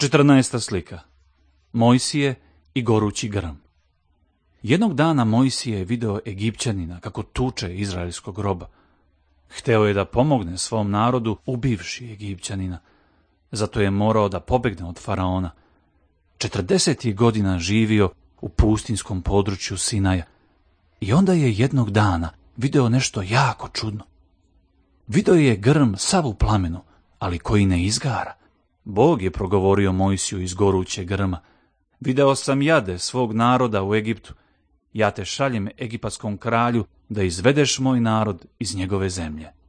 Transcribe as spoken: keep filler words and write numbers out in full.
Četrnaesta slika. Mojsije i gorući grm. Jednog dana Mojsije je video Egipćanina kako tuče izraelskog roba. Hteo je da pomogne svom narodu ubivši Egipćanina. Zato je morao da pobegne od faraona. Četrdeset je godina živio u pustinskom području Sinaja. I onda je jednog dana video nešto jako čudno. Video je grm sav u plamenu, ali koji ne izgara. Bog je progovorio Mojsiju iz gorućeg grma. Video sam jade svog naroda u Egiptu. Ja te šaljem egipatskom kralju da izvedeš moj narod iz njegove zemlje.